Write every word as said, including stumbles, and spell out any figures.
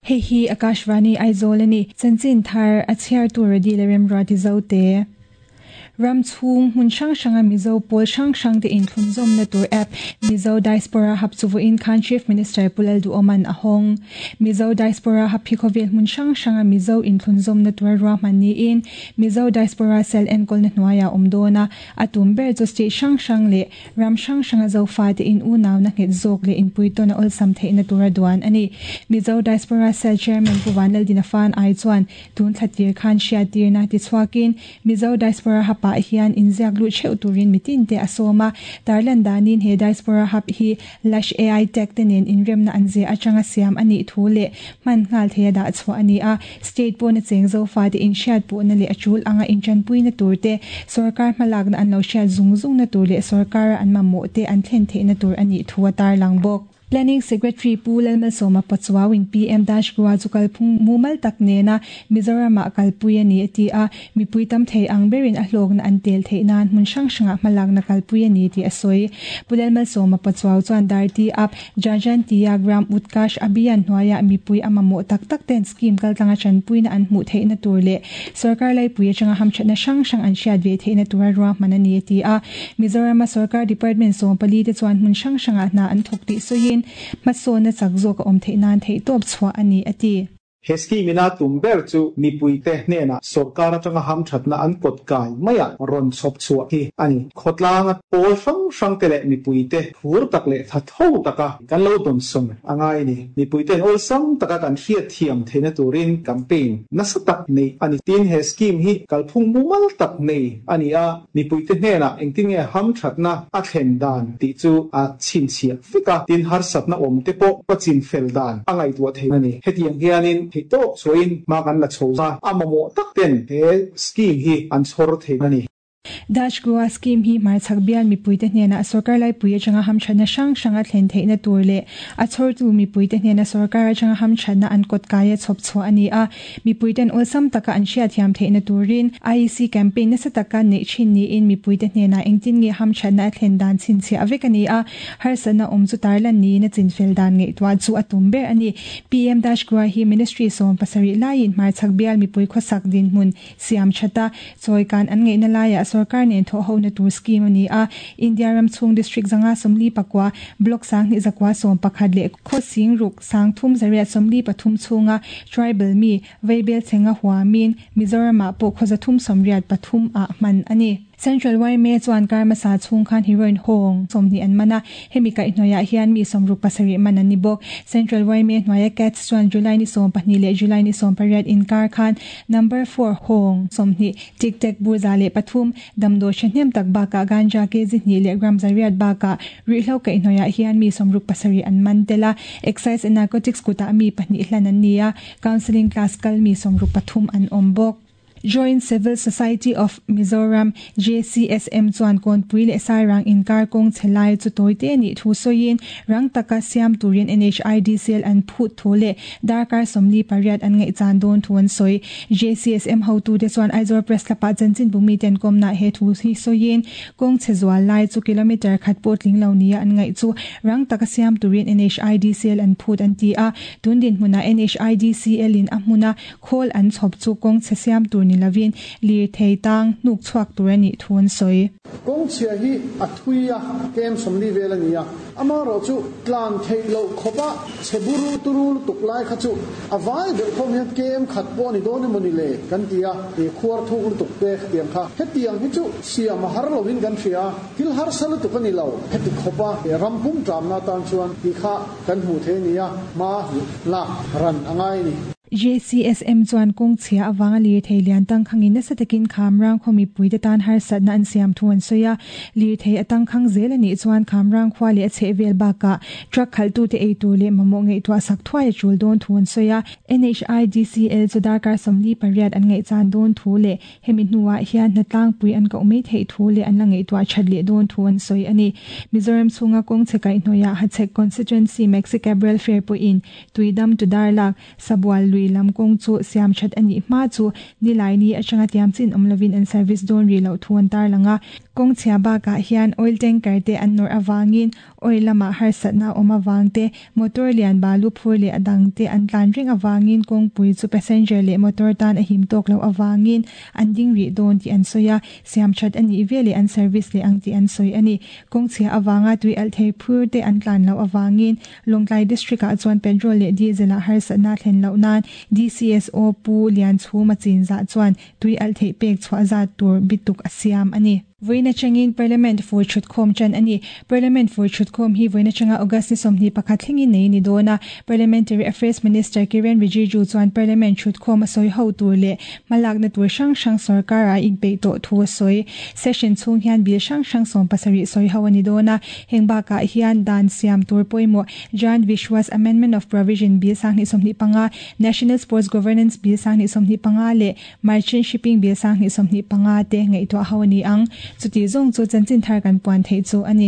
Hei hi Akashvani Aizawl a ni. Chanchin thar a chhiartu Radi leh Remruati Zote. Ram chhung hmun hrang hranga Mizo pawl hrang hrang te inthlunzawmna tur app Mizo Diaspora Hub chu vawiin khan Chief Minister Pu Lalduhawman a hawng. Mizo Diaspora Hub hi khawvel hmun hrang hranga Mizo inthlunzawmna tur ruahman niin Mizo Diaspora Cell enkawlna hnuaiah awm dawn a, a tum ber chu state hrang hrang leh ram hrang hranga Zofate in unauna nghet zawk leh inpuitawn a awlsam theihna tura duan a ni. Mizo Diaspora Cell Chairman Pu Vanlaldina Fan ai chuan tun thla tir khan hriattirna tichhuakin Mizo Diaspora Hub ah hian inziak lut theuh turin mitin te a sawm a, tarlan danin he Diaspora Hub hi Lush A I Tech te nen inremna an zia atanga siam a nih thu leh hman nghal thei a dah chhuah a ni a, state pawna cheng Zofa te inhriat pawhna leh a tul anga intanpuina tur te, sorkar hmalakna an lo hriat zung zungna tur leh sorkara an mamawh te an thlen theihna tur a nih thu a tarlang bawk. Planning Secretary Pu Lalmalsawma Pachuau-in P M Dash Goa chu kalphung mumal tak nena Mizoram-ah kalpui a ni a ti a, mipui tam thei ang berin a hlawkna an tel theih nan hmun hrang hrangah hmalakna kalpui a ni tih a sawi. Pu Lalmalsawma Pachuau chuan Darti Up, Jajantiya Gram Utkarsh Abhiyan hnuaiah mipui a mamawh tak tak ten scheme kaltlanga tanpuina an hmuh theihna tur leh sorkar laipui atanga hamthatna hrang hrang an hriat ve theihna tura ruahman a ni a ti a. Mizoram-a sorkar department sawm pali te chuan hmun hrang hrangah hna an thawk tih sawiin hmasawnna chak zawk a awm theih nan theih tawp chhuah a ni a ti. He scheme ina tum ber chu mipui te hnena sorkar atanga hamthatna an kawt kai maia rawn chhawp chhuah hi a ni. Khawtlanga pawl hrang hrang te leh mipui te phur tak leh tha tho taka kan lo dawn sawm a ngai ni. Mipui ten awlsam taka kan hriat thiam theihna turin campaign nasa tak nei a ni. Tin he scheme hi kalphung mumal tak nei a ni a, mipui te hnena engtin nge hamthatna a thlen dan tih chu a chhinchhiah vek a, tin harsatna awm te pawh a chin fel dan a ngaihtuah theih a ni. Hetiang hianin thei tawk chuain hma kan la chho a, a mamawh tak ten he scheme hi an chhawr theih a ni. Dash Goa scheme hi hmarchhak bial mipui te hnena sorkar laipui atanga hamthatna hrang hrang a thlen theihna tur leh a chhawrtu mipui te hnena sorkar atanga hamthatna an kawt kai a chhawp chhuah a ni a, mipui ten awlsam taka an hriat thiam theihna turin I E C campaign nasa taka neih thin niin mipui te hnena engtin nge hamthatna a thlen dan chhinchhiah vek a ni a, harsatna awm chu tarlan niin a chinfel dan ngaihtuah chu a tum ber a ni. P M Dash Goa hi Ministry sawm pasarih laiin hmarchhak bial mipui khawsak dinhmun siam thata chawikan an ngaihna laiah sorkar nen thawh hona tur scheme a ni a, India ram chhung district zanga sawmli pakua block sanghnih zakua sawm pakhat leh khawsing ruk sangthum zariat sawmli pathum chhunga tribal mi veibel chenga huamin Mizoramah pawh khawza thum sawmriat pathum ah hman a ni. Central Y M A chuan karmasa chhung khan heroin hawng sawmhnih an man a, hemi kaihhnawihah hian mi sawmruk pasarih man an ni bawk. Central Y M A hnuaia cats chuan July ni sawm pahnih leh July ni sawm pariat inkar khan number four hawng sawmhnih tic tac burza leh pathum damdawi thahnem tak bakah ganja kg hnih leh gram zariat bakah rihlo kaihhnawihah hian mi sawmruk pasarih an man tel a, Excise and Narcotics kutah mi pahnih hlan an ni a, counselling class kal mi sawmruk pathum an awm bawk. Joint Civil Society of Mizoram J C S M chuan kawnpui leh sairang inkar kawng chhelai chu tawite ni thu sawiin rang taka siam turin N H I D C L an phut thu leh darkar sawmli pariat an ngaihchan dawn thu an sawi. J C S M hotu te chuan Aizawl Press Club-ah chanchin bumi ten kawmna he thu hi sawiin kawng chhe zual lai chu kilometer khat pawh tling lo nia an ngaih chu rang taka siam turin N H I D C L an phut an ti a, tun din hmuna N H I D C L in a hmuna khawl an chhawp chu kawng chhe siam tur ni lavin lir thei tang nuk chhuak tur ani thu an sawi. Kawng chhia hi a thui a kem sawmli vel a ni a, ama ro chu tlan thei lo khopa cheburu turu tuk lai kha chu a vai deuh thawm hian kem khat pawh ni dawn emaw ni le kan ti a, e khuar thuk lutuk te tiang kha hetiang hi chu siam a har lovin kan hria, thil har sa lutuk ani lo heti khopa e rampum tramna tan chuan ti kha kan hmu the ni a, ma lak ran angai ni. J C S M chuan kawng chhia awanga lir thei lian tang khangin nasa takin khamrang khaw mipui te tan harsatna an siam thu an sawi a, lir thei atang khang zel ani chuan khamrang khua leh a chhehvel bakah truck khaltu te ei tur leh mamawh ngaihtuah sak thuai a tul dawn thu an sawi a. N H I D C L chu darkar sawmli pariat an ngaihchan dawn thu leh hemi hnuah hian hnatlangpui an koh mai theih thu leh an la ngaihtuah that leh dawn thu an sawi a ni. Mizoram chhunga kawng chhe kaihhnawihah Hachhek Constituency Maxi Cab Welfare pawhin Tuidam tu Darlak Sabual lui lam kawng chu siam that ani hma chu nilai ni atanga tiam chin awm lovin an service dawn ri lo thu an tar langa Kawng chhia bakah hian oil tanker te an nawrh avangin oil lamah harsatna awm avang te, motor lian balu phur leh a dang te an tlan reng avangin kawngpui chu passenger leh motor tan a him tawk loh avangin an ding rih dawn tih an sawi a, siam that a nih veleh an service leh ang tih an sawi a ni. Kawng chhia avanga tui alh thei phur te an tlan loh avangin Lawngtlai District ah chuan petrol leh diesel ah harsatna thlen loh nan D C S O Pu Lianchhuma Chinzah chuan tui alh theih pek chhuah zat tur bituk a siam a ni. Vawiin atangin Parliament fur thutkhawm tan a ni. Parliament fur thutkhawm hi vawiin atanga August ni sawmhnih pakhat thlengin nei ni dawn a. Parliamentary Affairs Minister Kiren Rijiju chuan Parliament thutkhawm a sawi ho tur leh hmalakna tur hrang hrang sorkar a inpeih tawh thu a sawi. Session chhung hian bill hrang hrang sawm pasarih sawi ho a ni dawn a. Heng bakah hian dan siam tur pawimawh Jan Vishwas Amendment of Provision Bill sanghnih sawmhnih panga, National Sports Governance Bill sanghnih sawmhnih panga leh Merchant Shipping Bill sanghnih sawmhnih panga te ngaihtuah ho a ni ang. Chuti zawng chu chanchin thar kan puan theih chu a ni.